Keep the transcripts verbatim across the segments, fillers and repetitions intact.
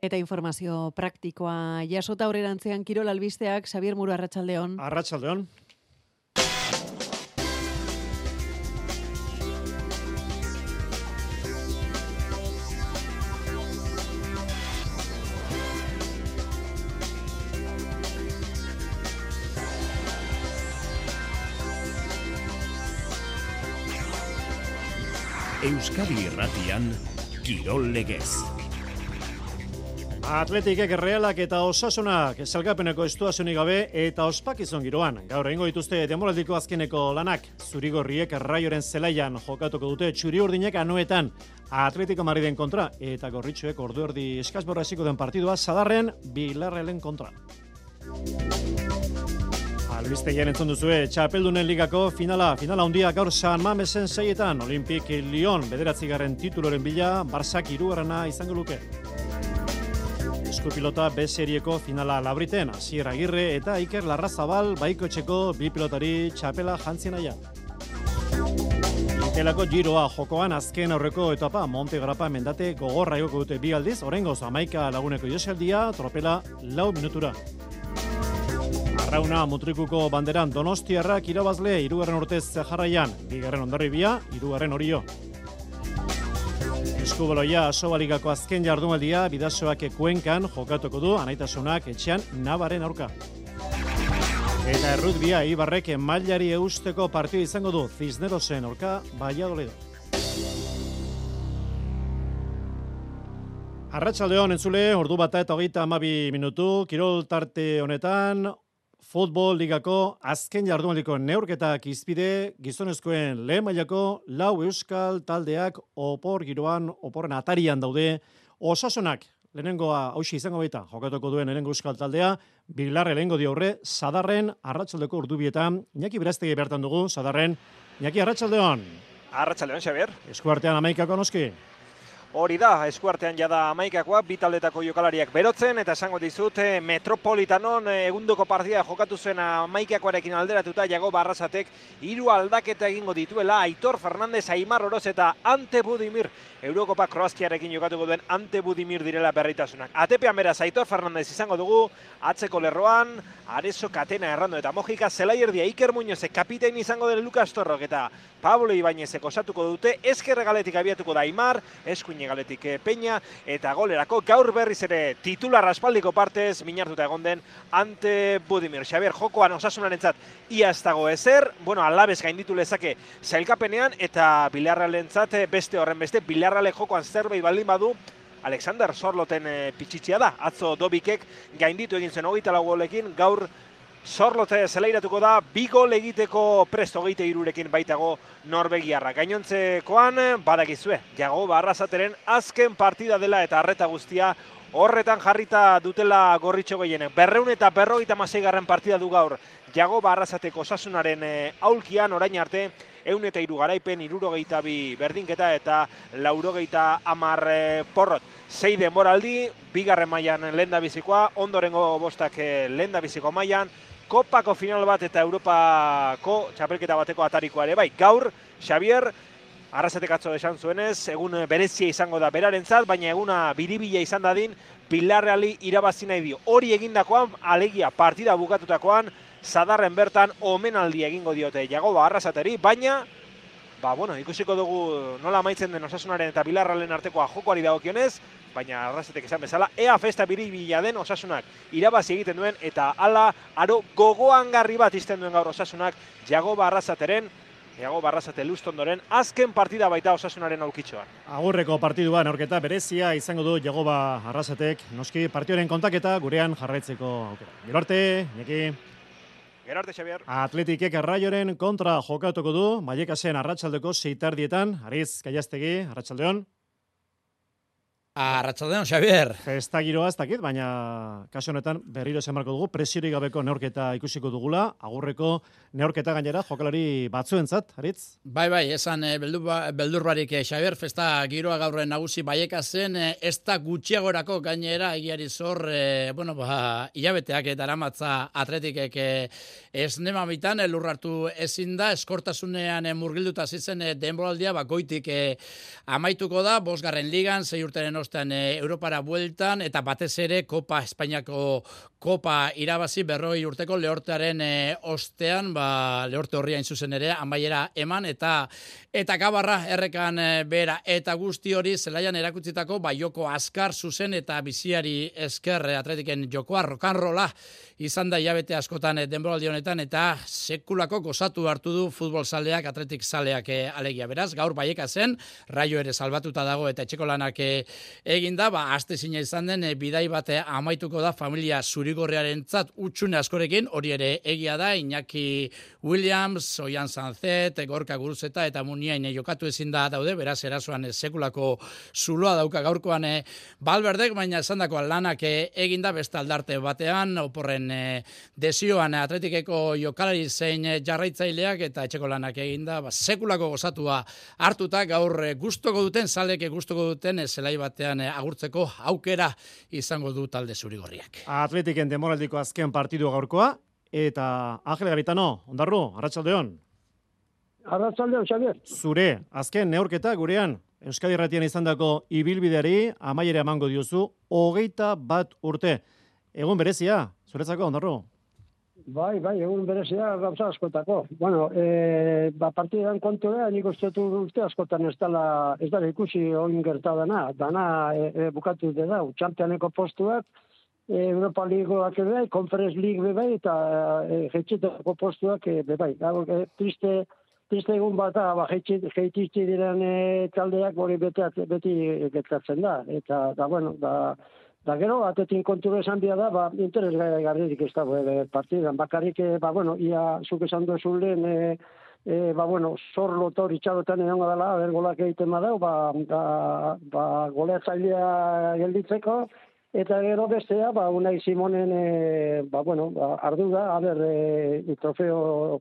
Eta informazio praktikoa jasota aurrerantzean Kirol albisteak, Xabier Muro, arratsaldeon. Arratsaldeon. Euskadi Irratian Kirol Legez. Atletikek, Realak eta Osasunak salgapeneko estuazionik gabe eta ospakizun giroan. Gaur egingo dituzte denboraldiko azkeneko lanak. Zurigorriek Raioren zelaian jokatuko dute txuri-urdinek Anoetan Atletico Madriden kontra eta Gorritxoek ordu erdi eskasborra hasiko den partidua Sadarren Bilarrelen kontra. Albistegian entzun duzue, Txapeldunen ligako finala, finala handia gaur San Mamesen seietan, Olimpik Lyon bederatzigarren tituloren bila, Barsak hirugarrena izango luke. Eskupilota B serieko finala Labriten, Asier Agirre eta Iker Larrazabal baikotxeko bi pilotari txapela jantzien aia. Itelako giroa jokoan azken aurreko etapa Monte Grapa mendate gogorra egoko dute bi aldiz, oraingoz hamaika laguneko joseldia, tropela lau minutura. Arrauna mutrikuko banderan Donostiarrak irabazle hirugarren urtez jarraian, bigarren Hondarribia, hirugarren Orio. Eskubaloia Asobaligako azken jardunaldia Bidasoak Kuenkan jokatuko du Anaitasunak etxean Navaren aurka. Eta errutbia Ibarrek mailari eusteko partida izango du Cisnerosen aurka Valladolid. Arratsaldeon entzule, ordu bata eta hogeita hamabi minutu, kirol tarte honetan, Futbol ligako azken jardunaldiko neurketak izpide gizonezkoen lehen mailako lau euskal taldeak opor giroan, oporren atarian daude. Osasunak lehenengoa hausi izango baita jokatuko duen lehenengo euskal taldea, Bilarre lehengo di aurre, Sadarren arratsaldeko ordubietan, Iñaki Berastegi bertan dugu, Sadarren. Iñaki, arratsaldeon. Arratsaldeon, Xabier. Eskuartean hamaikako noski. Hori da, eskuartean jada hamaikakoa, bi taldetako jokalariak berotzen, eta esango dizut, Metropolitanon egundoko partida jokatu zen hamaikakoarekin alderatuta, Jago Arrasatek hiru aldaketa egingo dituela, Aitor Fernandez, Aimar Oroz eta Ante Budimir, Eurokopa Kroazkiarekin jokatuko duen Ante Budimir direla berritasunak. Atepean beraz, Aitor Fernandez izango dugu, atzeko lerroan, Areso Katena Errando eta Mojika, Zelaierdia, Iker Muñozek, kapitein izango den Lukas Torrok eta Pablo Ibañezek osatuko dute, ezkerre galetik abiatuko da Aimar, eskuine galetik Peña, eta golerako gaur berriz ere titular aspaldiko partez, minartuta egon den Ante Budimir. Xabier, jokoan Osasunarentzat ia ez dago ezer, bueno, alabez gainditu lezake sailkapenean, eta Bilarralentzat beste horren beste, Bilarrale jokoan zerbait baldin badu, Alexander Sorloten e, pitxitzia da, atzo Dobikek gainditu egin zen hogeita lau golekin, gaur Sorlote zelairatuko da, bi gol egiteko prest hogeita hirurekin baitago norbegiarra. Gainontzekoan, badakizue, Jago Arrasateren azken partida dela eta arreta guztia horretan jarrita dutela Gorritxo gehienek. Berreun eta berrogeita hamaseigarren partida du gaur Jago Arrasateko Osasunaren e, aulkian orain arte, ehun eta hiru garaipen, hirurogeita bi berdinketa eta laurogeita hamar e, porrot. Sei denboraldi, bigarren mailan lehendabizikoa, ondorengo bostak e, lehendabiziko mailan, Kopako final bat eta Europako txapelketa bateko atarikoa ere bai. Gaur, Xabier, Arrasatek atzo esan zuenez, egun berezia izango da berarentzat, baina eguna biribila izan dadin, Bilarreali irabazi nahi dio. Hori egindakoan, alegia partida bukatutakoan, Sadarren bertan omenaldi egingo diote Jago Arrasateri, baina, ba, bueno, ikusiko dugu nola amaitzen den Osasunaren eta Bilarralen artekoa jokoari dagokionez, baina Arrasatek esan bezala, ea festa biribila den Osasunak irabazi egiten duen, eta hala aro gogoangarri bat izten duen gaur Osasunak Jago Arrasateren, Jago Arrasate Lustondoren azken partida baita Osasunaren aulkitxoan. Agurreko partidua neurketa berezia izango du Jago Arrasatek, noski partioren kontaketa gurean jarraitzeko aukera. Gero arte, Iñaki. Gero arte, Xabier. Atletikek Raioren kontra jokatuko du, Vallecasen arratsaldeko seitardietan, Ariz Gaiastegi, arratsaldeon. Arratsaldeon, Xabier. Festa giroa ez dakit, baina kasu honetan berriro esan marko dugu, presiorik gabeko neurketa ikusiko dugula, agurreko neurketa gainera jokalari batzuentzat, Aritz? Bai, bai, esan e, beldur, beldur barik, e, Xabier, festa giroa gaur nagusi Vallecasen, e, ez da gutxiagorako gainera egiari zor, e, bueno, ba, hilabeteak eta aramatza Atletikek e, ez nemamitan e, lurrartu ezin da, eskortasunean e, murgilduta zitzen e, denboraldia, ba, goitik e, amaituko da, bosgarren ligan, sei urteren ostean e, Europara bueltan, eta batez ere Kopa Espainiako Kopa irabazi berroi urteko lehortearen e, ostean, ba, lehorte horria zuzen ere, amaiera eman, eta eta gabarra errekan e, bera, eta guzti hori zelaian erakutzitako, ba, joko azkar zuzen eta biziari esker e, Atletiken jokoa, rokanrola, izan da hilabete askotan e, denboraldi honetan, eta sekulako gozatu hartu du futbol zaleak, Atletik zaleak e, alegia. Beraz, gaur Baieka zen, Raio ere salbatuta dago eta etxeko lanak e, eginda, ba, aste zina izan den, e, bidai bate amaituko da familia zurigorriarentzat utxune askorekin, hori ere egia da, Iñaki Williams, Oian Sanzet, Gorka Guruzeta eta Muniain e, jokatu ezin da daude, beraz, erasoan e, sekulako zuloa dauka gaurkoan e, Balberdek, baina esandako lanak e, eginda beste aldarte batean, oporren e, desioan Atletikeko jokalari zein e, jarraitzaileak eta etxeko lanak eginda, ba, sekulako gozatua hartuta gaur e, gustoko duten, zaleke gustoko duten e, zelai batean e, agurtzeko aukera izango du talde zurigorriak. Atletiken demoraldiko azken partidu gaurkoa, eta Angel Garitano, ondarru, arratsaldeon. Arratsaldeon, Xavier. Zure, azken neurketa gurean, Euskadi Irratian izandako ibilbideari amaiera emango diozu, hogeita bat urte. Egun berezia, zuretzako, ondarru? Bai, bai, egun berezia gauza askotako. Bueno, e, ba, partidan kontu da, nik uste dut urte askotan ez dala, ez dala ikusi oin gerta dana. Dana e, e, bukatu de da, Championeko postuak, e, Europa Ligoak bai, Conference League bai, eta e, jetxetako postuak e, bai. Gau, e, triste, triste egun bat da, ba, jetxitzi diren e, taldeak hori beti, beti gertatzen da. Eta, da, bueno, da... Da gero, atetin kontura esan bia da, ba, interes garririk ez da, e, partidan. Bakarrik, e, ba, bueno, ia zuk esan duzu lehen, e, e, ba, bueno, zor lotor itxarotan egon dela, ber golak egiten badau, ba, ba, ba goleatzailea gelditzeko, eta gero bestea, ba, Unai Simonen, e, ba, bueno, ba, ardu da, a ber, e, trofeo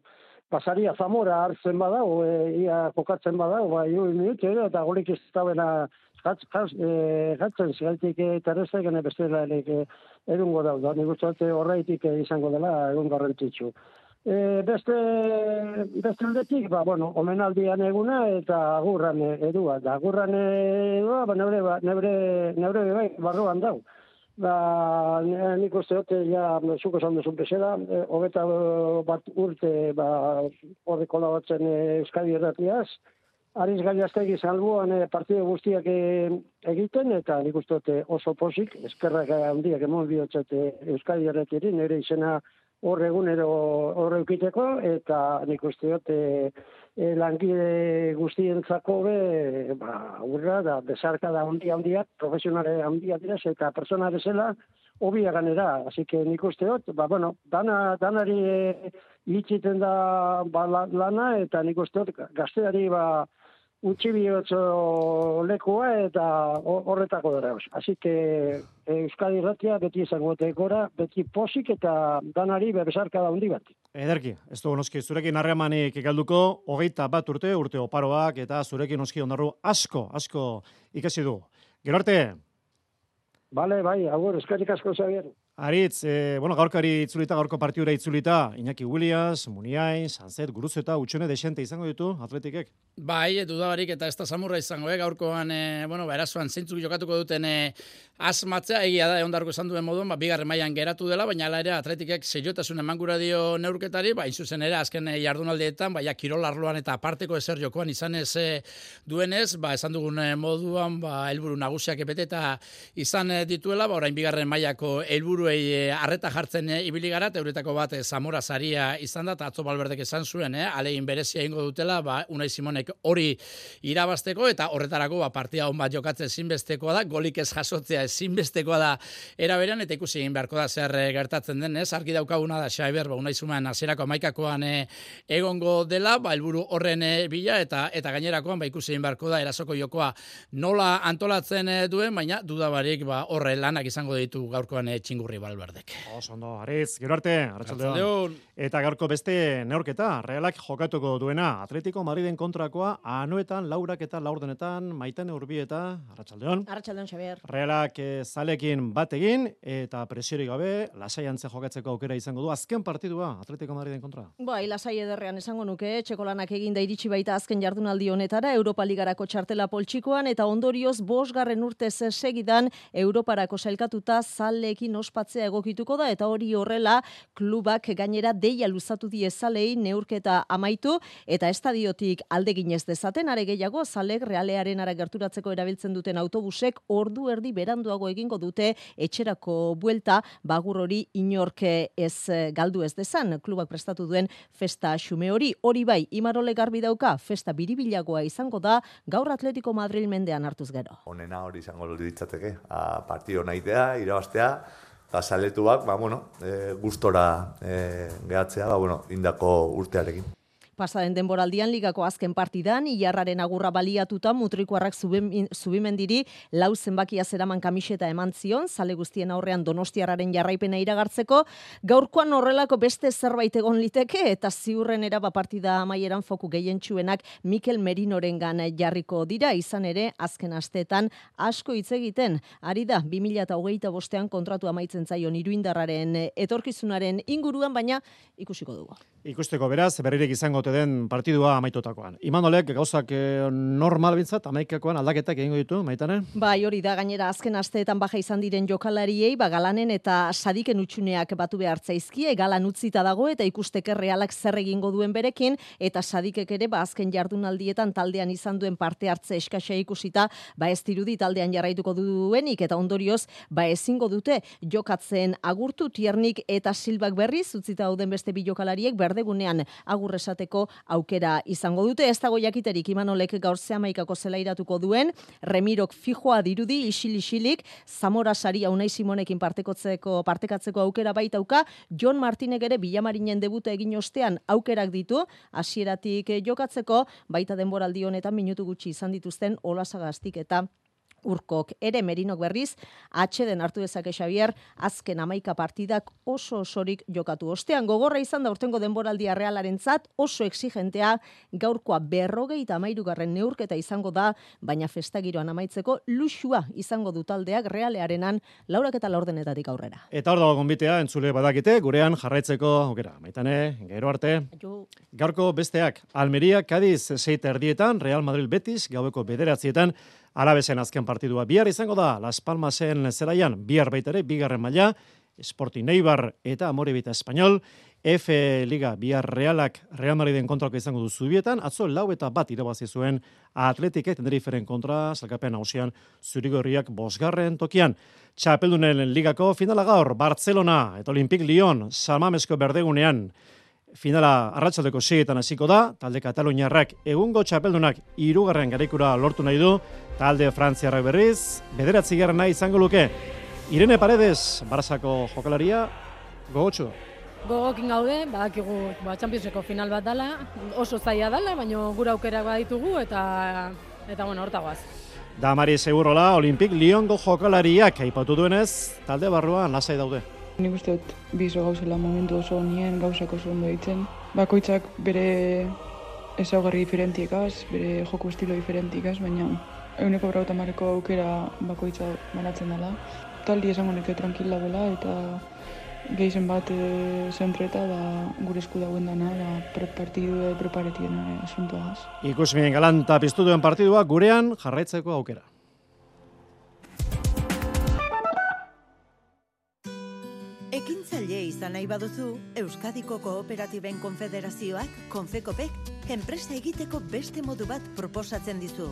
pasaria Zamora hartzen badau, e, ia jokatzen badau, ba, iru minutu, eta golik ez da bena, Jatz, jatz, e, jatzen zigaltik terrestek, gene bestela e, edungo dau da. Nik uste horreitik izango dela egun garrantzitsu. E, beste, beste aldetik, ba, bueno, omenaldian eguna eta agurran edua. Da, agurran edua, ba, nebre, ba, nebre, nebre bai, barruan dau. Ba, nik uste dute, ja, zuko esan duzun bezala, e, hogeta bat urte, ba, horre kolabatzen e, Euskadi Irratiaz, Ariz Gaiastegi salbuan e, partidu guztiak e, egiten, eta nik uste dute oso posik, eskerrak handiak emon bihotzat e, Euskadi Irratiari, nire izena hor egunero horre eukiteko, eta nik uste dute e, langile guztientzako be, ba, urra, da, besarka da handia handiak, profesionale handia direz, eta persona bezala, obia ganera, así que nik uste dut, ba, bueno, dana, danari e, itxiten da ba, lana, eta nik uste dut, gazteari, ba, utzi bihotzo lekua eta horretako dara. Así que Euskadi Irratia beti izango tekora, beti posik eta danari bebesarka da hundi bat. Ederki, ez dugu noski, zurekin harremanik galduko, hogeita bat urte, urte oparoak, eta zurekin noski ondarru asko, asko ikasi du. Gero arte? Bale, bai, agur, eskerrik asko Xavier. Aritz, e, bueno, gaurkari itzulita, gaurko partiura itzulita, Iñaki Williams, Muniain, Sanzet, Guruzeta, utxune desente izango ditu, Atletikek? Bai, dudabarik eta ez da samurra izango, eh? Gaurkoan, e, bueno, ba, erasoan zeintzuk jokatuko duten e, asmatzea, egia da, egon darko esan duen moduan, ba, bigarren mailan geratu dela, baina ala ere Atletikek seiotasun emangura dio neurketari, ba, inzuzen ere, azken e, jardunaldietan, ba, ja, kirol arloan eta aparteko ezer jokoan izanez e, duenez, ba, esan dugun e, moduan, ba, helburu nagusiak epete eta izan e, dituela, ba, orain bigarren mailako helburuei arreta jartzen e, ibili gara, euretako bat e, Zamora saria izan da, eta atzo Balberdek esan zuen, eh, alegin berezia ingo dutela, ba, Unai Simonek hori irabazteko, eta horretarako ba, partida hon bat jokatzen ezinbestekoa da, golik ez jasotzea ezinbestekoa da eraberean, eta ikusi egin beharko da zer e, gertatzen den, ez? Argi daukaguna da Xabier, ba, Unai Simonen hasierako hamaikakoan e, egongo dela, ba, helburu horren e, bila, eta eta gainerakoan ba, ikusi egin beharko da erasoko jokoa nola antolatzen e, duen, baina dudabarik ba, horre lanak izango ditu gaurkoan e, txingurri. Urri Balberdek. Oso ondo, Aritz, gero arte, arratsaldeon. Arratsaldeon. Eta gaurko beste neurketa, Realak jokatuko duena, Atletico Madriden kontrakoa, anoetan, laurak eta laurdenetan, Maitane Urbieta, arratsaldeon. Arratsaldeon, Xabier. Realak eh, zalekin bat egin, eta presiorik gabe, lasaiantze jokatzeko aukera izango du, azken partidua, Atletico Madriden kontra. Bai, lasai ederrean esango nuke, txekolanak eginda iritsi baita azken jardunaldi honetara, Europa Ligarako txartela poltsikoan, eta ondorioz bosgarren urtez segidan, Europarako sailkatuta zaleekin ospatzea egokituko da, eta hori horrela, klubak gainera deia luzatu die zalei neurketa amaitu, eta estadiotik alde ginez dezaten, are gehiago, zalek Realearen ara gerturatzeko erabiltzen duten autobusek ordu erdi beranduago egingo dute etxerako buelta, bagur hori inork ez galdu ez dezan, klubak prestatu duen festa xume hori. Hori bai, Imarole garbi dauka, festa biribilagoa izango da, gaur Atletico Madrid mendean hartuz gero. Onena hori izango ditzateke, a partido nahitea, irabaztea, eta saletuak, ba, bueno, e, gustora e, gehatzea, ba, bueno, indako urtearekin. Pasaden denboraldian ligako azken partidan, Ilarraren agurra baliatuta mutrikuarrak Zubimendiri lau zenbakia zeraman kamiseta eman zion, zale guztien aurrean Donostiarraren jarraipena iragartzeko, gaurkoan horrelako beste zerbait egon liteke, eta ziurren eraba partida amaieran foku gehientsuenak Mikel Merinorengan jarriko dira, izan ere azken asteetan asko hitz egiten, ari da bi mila hogeita bostean kontratu amaitzen zaion Iruindarraren etorkizunaren inguruan, baina ikusiko dugu. Ikusteko beraz, berrirek izango den partidua amaitotakoan. Imanolek gauzak eh, normal bintzat, amaikakoan aldaketak egingo ditu, Maitane? Bai, hori da, gainera azken asteetan baja izan diren jokalariei, ba, Galanen eta Sadiken utxuneak batu behar zaizkie, Galan utzita dago eta ikusteke Realak zer egingo duen berekin, eta Sadikek ere, ba, azken jardunaldietan taldean izan duen parte hartze eskasa ikusita, ba, ez dirudi taldean jarraituko duenik, eta ondorioz, ba, ezingo dute jokatzen agurtu, Tiernik eta Silbak berriz, utzita dauden beste bi jokalariek, berdegunean agurresateko aukera izango dute. Ez dago jakiterik Imanolek gaur zehamaikako zelairatuko duen, Remirok fijoa dirudi, isil-isilik, Zamora Saria Unai Simonekin partekatzeko, partekatzeko aukera baitauka, Jon Martinek ere Bilamarinen debuta egin ostean aukerak ditu, hasieratik jokatzeko, baita denboraldi honetan minutu gutxi izan dituzten Olasagaztik eta Urkok. Ere Merinok berriz, atxeden hartu dezake Xabier, azken hamaika partidak oso osorik jokatu. Ostean gogorra izan da urtengo denboraldia Realarentzat, oso exigentea, gaurkoa berrogeita hamairugarren neurketa izango da, baina festagiroan amaitzeko luxua izango du taldeak Realearenan laurak eta laurdenetatik aurrera. Eta hor dago gonbitea, entzule badakite, gurean jarraitzeko aukera. Maitane, gero arte. Gaurko besteak, Almeria, Cádiz, seita erdietan, Real Madrid Betis, gaueko bederatzietan, Alabezen azken partidua bihar izango da, Las Palmasen zelaian, bihar baitere, bigarren maila, Sporting Eibar eta Amorebita Espanyol, F Liga bihar Realak Real Madriden kontrako izango du Zubietan, atzo lau eta bat irabazi zuen Atletik Tenerifferen kontra, salkapen hausian zurigorriak bosgarren tokian. Txapeldunen ligako finala gaur, Barcelona eta Olympique Lyon, Salmamesko berdegunean, finala arratsaldeko seietan hasiko da, talde Kataluniarrak egungo txapeldunak hirugarren garaikura lortu nahi du, talde Frantziarrak berriz, bederatzigarrena izango luke. Irene Paredes, Barzako jokalaria, gogotsu. Gogokin gaude, badakigu ba, Championseko final bat dala, oso zaila dala, baina gure aukerak baditugu eta eta bueno, hortagoaz. Damari Segurola, Olympique Lyongo jokalariak aipatu duenez, talde barruan lasai daude. Nik uste dut bizo gauzela momentu oso nien gauzak oso ondo ditzen. Bakoitzak bere ezaugarri diferentikaz, bere joko estilo diferentikaz, baina eguneko berrauta mareko aukera bakoitza banatzen dela. Taldi esango neke tranquil dagoela eta gehizen bat e, zentreta da gure esku dagoen dana, da pre-partidu preparetien asuntoaz. Ikusmien galanta piztu duen partidua gurean jarraitzeko aukera. Ekintzaile izan nahi baduzu, Euskadiko Kooperatiben Konfederazioak, Konfekopek, enpresa egiteko beste modu bat proposatzen dizu.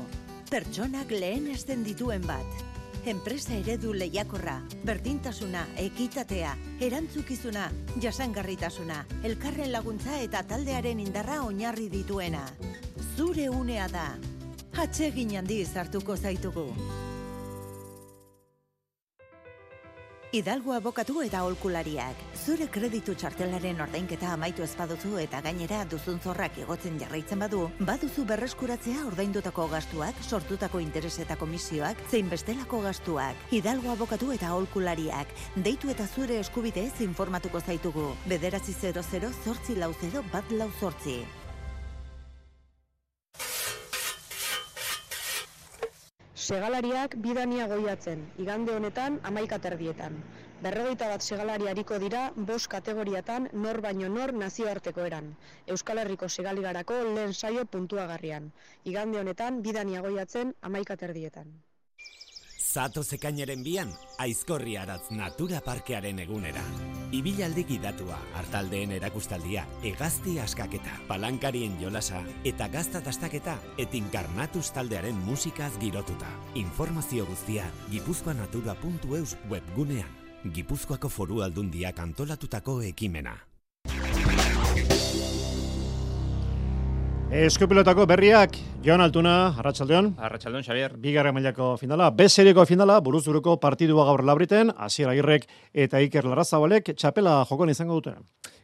Pertsonak lehenesten dituen bat. Enpresa eredu lehiakorra, berdintasuna, ekitatea, erantzukizuna, jasangarritasuna, elkarren laguntza eta taldearen indarra oinarri dituena. Zure unea da. Atsegin handiz hartuko zaitugu. Hidalgo abokatu eta aholkulariak. Zure kreditu txartelaren ordainketa amaitu ez baduzu eta gainera duzun zorrak igotzen jarraitzen badu, baduzu berreskuratzea ordaindutako gastuak, sortutako interes eta komisioak, zein bestelako gastuak. Hidalgo abokatu eta aholkulariak. Deitu eta zure eskubideez informatuko zaitugu. Bederatzi zero zero zortzi lau zero bat lau zortzi. Segalariak bidania goiatzen, igande honetan amaika terdietan. Berrogeita bat segalari hariko dira bost kategoriatan nor baino nor nazioarteko eran. Euskal Herriko segaligarako lehen saio puntuagarrian. Igande honetan bidania goiatzen amaika terdietan. Zato zekainaren bian, Aizkorri Aratz Natura Parkearen egunera. Ibilaldi gidatua, hartaldeen erakustaldia, hegazti askaketa, palankarien jolasa eta gazta dastaketa etinkarnatuz taldearen musikaz girotuta. Informazio guztia gipuzkoanatura puntu eus webgunean. Gipuzkoako Foru Aldundiak antolatutako ekimena. Eskupilotako berriak, Jon Altuna, Arratsaldeon. Arratsaldeon, Xabier. Bigarren mailako finala, B serieko finala, buruz-buruko partidua gaur Labriten, Asier Agirrek eta Iker Larrazabalek txapela jokon izango dute.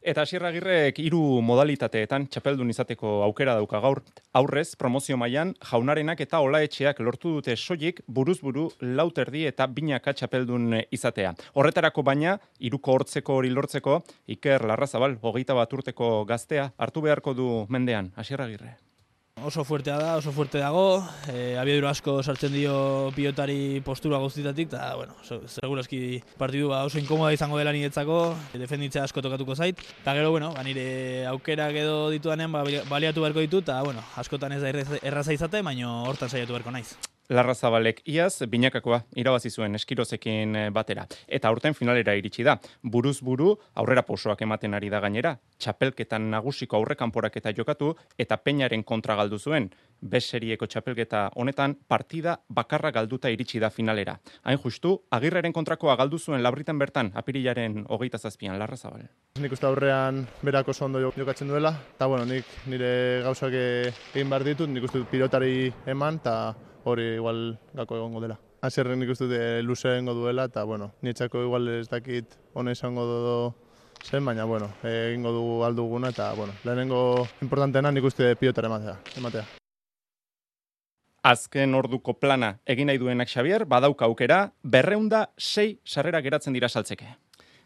Eta Asier Agirrek hiru modalitateetan txapeldun izateko aukera dauka gaur. Aurrez, promozio mailan Jaunarenak eta Olaetxeak lortu dute soilik buruz-buru lau terdi eta binaka txapeldun izatea. Horretarako baina, hiruko hortzeko hori lortzeko, Iker Larrazabal, hogeita bat urteko gaztea, hartu beharko du mendean, Asier Agirre. Oso fuertea da, oso fuerte dago, e, abiadura asko sartzen dio pilotari postura guztitatik, eta, bueno, segurazki partidua oso inkomoda izango dela niretzako, defenditzea asko tokatuko zait, eta gero, bueno, ba, nire aukerak edo ditudanean ba, baliatu beharko ditu, eta, bueno, askotan ez da erraza izate, baina hortan saiatu beharko naiz. Larrazabalek iaz binakakoa irabazi zuen Eskirozekin batera. Eta aurten finalera iritsi da. Buruz buru aurrera pausoak ematen ari da gainera. Txapelketan nagusiko aurrekanporaketa jokatu eta Peñaren kontra galdu zuen. B serieko txapelketa honetan partida bakarra galduta iritsi da finalera. Hain justu, Agirreren kontrakoa galdu zuen Labritan bertan apirilaren hogeita zazpian Larrazabal. Nik uste aurrean berak oso ondo jokatzen duela, eta bueno, nik nire gauzak egin behar ditut, nik uste pilotari eman, eta hori igual gako egongo dela. Asierren nik uste luze egongo duela, eta bueno, nietzako igual ez dakit hone izango dodo zen, baina bueno, egingo dugu alduguna, eta bueno, lehenengo importanteena nik uste pilotara ematea. ematea. Azken orduko plana egin nahi duenak Xabier, badauka aukera, berreunda sei sarrera geratzen dira saltzeke.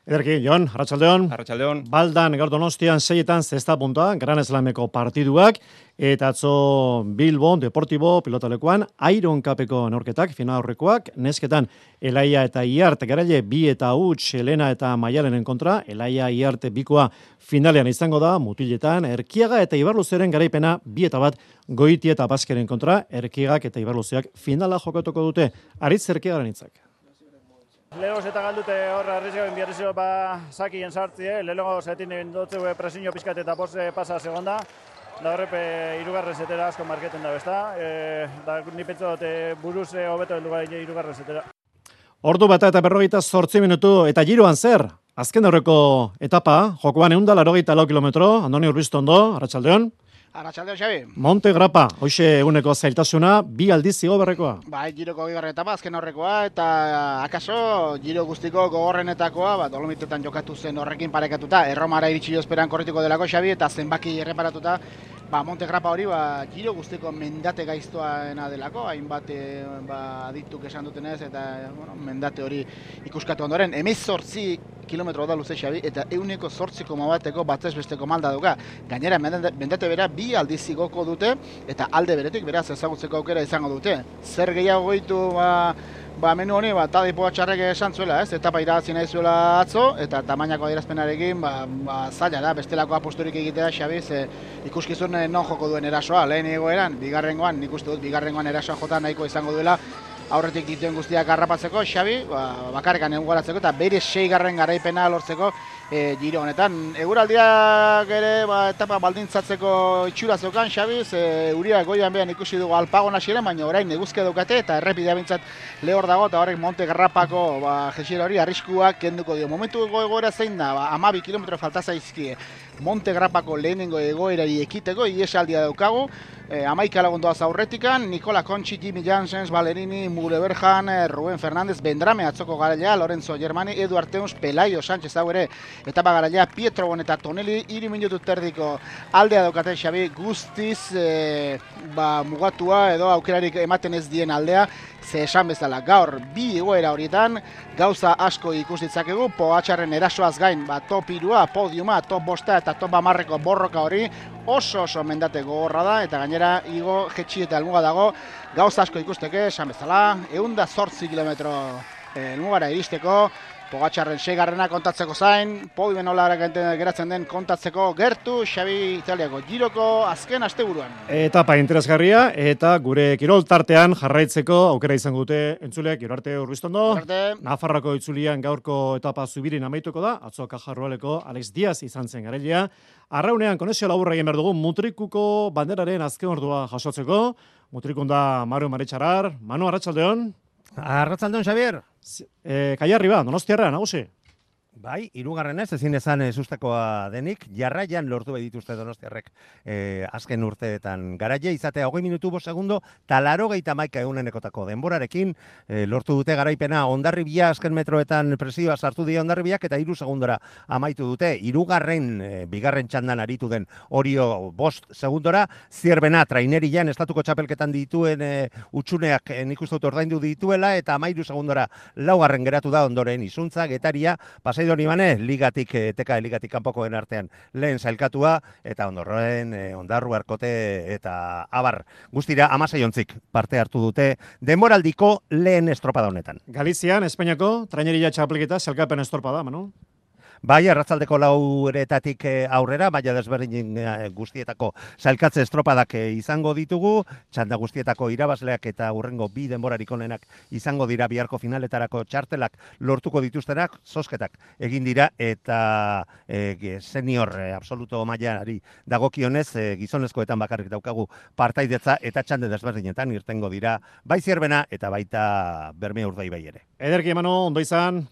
Ederki, Jon, Arratsaldeon. Arratsaldeon. Baldan, gaur Donostian seietan zesta puntua, Gran Slameko partiduak, eta atzo Bilbo, Deportibo, pilotalekuan, Iron Cupeko neurketak, final aurrekoak, nesketan Elaia eta Iart, garaile bi eta huts, Elena eta Maialenen kontra, Elaia Iart bikoa finalean izango da, mutiletan, Erkiaga eta Ibarluzeren garaipena bi eta bat Goiti eta Baskeren kontra, Erkiagak eta Ibarluzeak finala jokatuko dute, Aritz Erkiagaren hitzak. Lehenko eta galdute horra arrizioen biarrizio ba zakien sartzie, lehenko zetin dutzu presiño pizkat eta pose pasa segonda, da horrepe irugarren zetera asko marketen da besta, e, da ni pentsa dut buruz hobeto heldu gara irugarren zetera. Ordu bata eta berrogeita zortzi minutu eta giroan zer? Azken aurreko etapa, jokoan eunda larogeita lau kilometro, Andoni Urbiztondo, Arratsaldeon. Arratsaldeon, Xabi. Monte Grapa, hoxe eguneko zailtasuna, bi aldiz zigo berrekoa. Bai, giroko bigarren etapa, azken horrekoa, eta akaso giro guztiko gogorrenetakoa, ba, Dolomitetan jokatu zen horrekin parekatuta, Erromara iritsi esperan korrituko delako, Xabi, eta zenbaki erreparatuta, ba, Monte Grapa hori, ba, giro guztiko mendate gaiztoaena delako, hainbat ba, adituk esan dutenez, eta bueno, mendate hori ikuskatu ondoren, hemezortzi kilometro da luze, Xabi, eta euneko zortzi koma bateko batzez besteko malda duka. Gainera, mendate bera bi aldiz igoko dute, eta alde beretik beraz ezagutzeko aukera izango dute. Zer gehiago goitu ba, ba menu honi, ba, Tadej Pogačarrek esan zuela, ez? Etapa irabazi nahi zuela atzo, eta tamainako adierazpenarekin ba, ba, zaila da, bestelako aposturik egitea, Xabi, ze ikuskizun non joko duen erasoa, lehen egoeran, bigarrengoan, nik uste dut, bigarrengoan erasoa jota nahiko izango duela, aurretik dituen guztiak harrapatzeko, Xabi, ba, bakarrekan eguratzeko eta bere seigarren garaipena lortzeko e, giro honetan. Eguraldiak ere ba, etapa baldintzatzeko itxura zeukan, Xabi, ze uriak goian behan ikusi dugu alpagon hasiera, baina orain eguzkia daukate eta errepidea bintzat lehor dago eta horrek Monte Grapako ba, jesiera hori arriskuak kenduko dio. Momentu egoera zein da, ba, hamabi kilometro falta zaizkie Monte Grapako lehenengo egoerari ekiteko, iesaldia daukagu, E, amaika lagun doaz aurretikan, Nikola Kontxi, Jimmy Janssens, Valerini, Mure Berjan, Ruben Fernandez, Bendrame atzoko garailea, Lorenzo Germani, Edu Arteuns, Pelaio Sánchez hau ere, etapa garailea, Pietro Bon eta Tonelli, hiru minutu terdiko aldea daukate Xabi, guztiz e, ba, mugatua edo aukerarik ematen ez dien aldea, ze esan bezala gaur bi egoera horietan, gauza asko ikus ditzakegu, Pogačarren erasoaz gain, ba, top irua, podiuma, top bosta eta top amarreko borroka hori, oso oso mendate gogorra da, eta gainera igo jetxi eta helmuga dago, gauza asko ikusteke, esan bezala, ehun eta zortzi kilometro helmugara iristeko, Pogačarren seigarrena kontatzeko zain, podioen nola geratzen den kontatzeko gertu, Xabi Italiako giroko azken asteburuan. Etapa interesgarria eta gure kirol tartean jarraitzeko aukera izango dute entzuleak. Gero arte Urbiztondo. Nafarrako itzulian gaurko etapa zubirin amaituko da, atzo Kajarrualeko Alex Diaz izan zen garailea. Arraunean konexio laburra egin behar dugu Mutrikuko banderaren azken ordua jasotzeko. Mutrikun da Maru Maritxarar. Manu, arratsaldeon. Arratsaldeon, Xavier. E, Kaiarri ba, Donostiarra, nagusi. Bai, hirugarrenez ezin ezan sustakoa denik, jarraian lortu bai dituzte Donostiarrek eh, azken urteetan garaile izatea hogei minutu bost segundo, talaro geita maika egunenekotako denborarekin eh, lortu dute garaipena Hondarribia azken metroetan presioa sartu dira Hondarribiak eta hiru segundora amaitu dute, hirugarren eh, bigarren txandan aritu den Orio bost segundora, zierbena trainerian estatuko txapelketan dituen eh, utxuneak eh, nik uste dut ordaindu dituela eta amairu segundora laugarren geratu da ondoren izuntza, Getaria, pasai Doni Bane, ligatik, teka ligatik kanpokoen artean lehen zailkatua, eta ondorren, eh, ondarru arkote eta abar. Guztira, amasei ontzik parte hartu dute denboraldiko lehen estropada honetan. Galizian, Espainiako, traineria txapelketa, zelkapen estropada, Manu? Bai, arratzaldeko lauretatik aurrera, baina desberdin guztietako zailkatze estropadak izango ditugu, txanda guztietako irabazleak eta hurrengo bi denborarik onenak izango dira biharko finaletarako txartelak lortuko dituztenak, zozketak egin dira eta e, senior e, absoluto mailari dagokionez e, gizonezkoetan bakarrik daukagu partaidetza eta txande desberdinetan irtengo dira bai Zierbena eta baita Bermea Urdaibai ere. Ederki, Manu, ondo izan.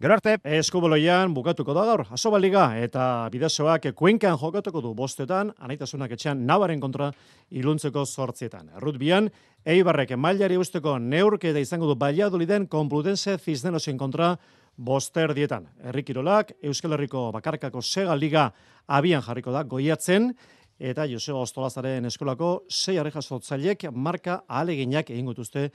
Gero arte. Eskuboloian bukatuko da gaur, Asobaliga eta Bidasoak Kuenkan jokatuko du bostetan, Anaitasunak etxean Navaren kontra iluntzeko zortzietan. Rugbian, Eibarrek mailari usteko neurketa izango du Valladoliden Complutense Cisnerosen kontra boster dietan. Herrikirolak, Euskal Herriko Bakarkako Sega Liga abian jarriko da goiatzen, eta Joseba Ostolazaren eskolako sei arrejasotzailek marka ahaleginak egin gutuzte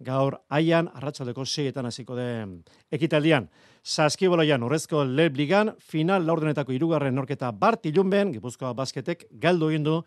gaur aian arratsaldeko seietan hasiko den ekitaldian. Saskiboloian urrezko Leb Ligan final laurdenetako hirugarren norketa Bart Ilunben, Gipuzkoa Basketek galdu egin du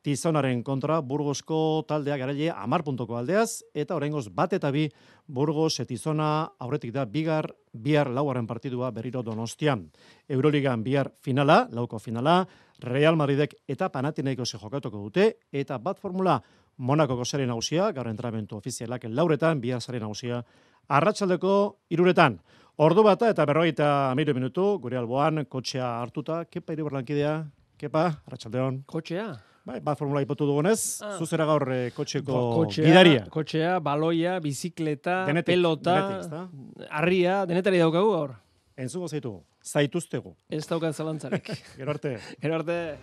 Tizonaren kontra Burgosko taldea garaile hamar puntuko aldeaz, eta oraingoz bat eta bi Burgos Tizona aurretik da bigar, bihar laugarren partidua berriro Donostian. Euroligan bihar finala, lauko finala, Real Madridek eta Panathinaikosek jokatuko dute, eta bat formula Monakoko sare nagusia, gaur entrenamendu ofizialak lauretan, bihar sare nagusia arratsaldeko hiruretan. Ordu bata eta berrogeita hamairu minutu, gure alboan kotxea hartuta, Kepa Iribarlankidea, Kepa, arratsaldeon. Kotxea? Bai, bat formula ipatu dugunez, ah. zuzera gaur eh, kotxeko kotxea, gidaria. Kotxea, baloia, bizikleta, denetik, pelota, denetik, harria, denetari daukagu gaur. Entzungo zaitu, zaituztegu. Ez daukan zalantzarik. Gero arte. Gero arte.